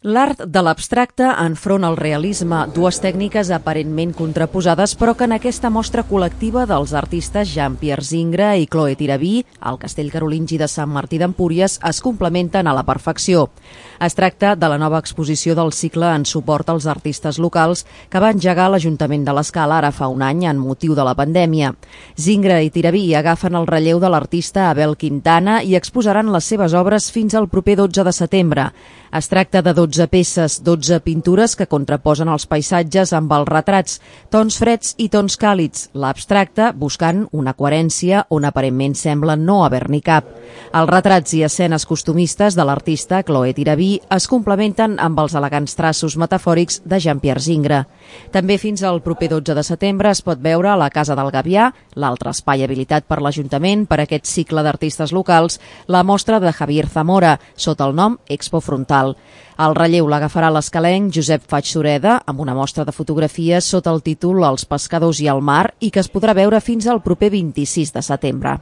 L'art de l'abstracte enfront al realisme, dues tècniques aparentment contraposades, però que en aquesta mostra col·lectiva dels artistes Jean-Pierre Zingra i Chloé Tirabí, al Castell Carolingi de Sant Martí d'Empúries, es complementen a la perfecció. Es tracta de la nova exposició del cicle en suport als artistes locals que va engegar l'Ajuntament de l'Escala ara fa un any en motiu de la pandèmia. Zingra i Tirabí agafen el relleu de l'artista Abel Quintana i exposaran les seves obres fins al proper 12 de setembre. Es tracta de 12 peces, 12 pintures que contraposen els paisatges amb els retrats, tons freds i tons càlids, l'abstracte buscant una coherència on aparentment sembla no haver-n'hi cap. Els retrats i escenes costumistes de l'artista Chloé Tirabí es complementen amb els elegants traços metafòrics de Jean-Pierre Zingra. També fins al proper 12 de setembre es pot veure a la Casa del Gavià, l'altre espai habilitat per l'Ajuntament per aquest cicle d'artistes locals, la mostra de Javier Zamora, sota el nom Expo Frontal. El relleu l'agafarà l'escalenc Josep Faig Sureda amb una mostra de fotografies sota el títol Els pescadors i el mar i que es podrà veure fins al proper 26 de setembre.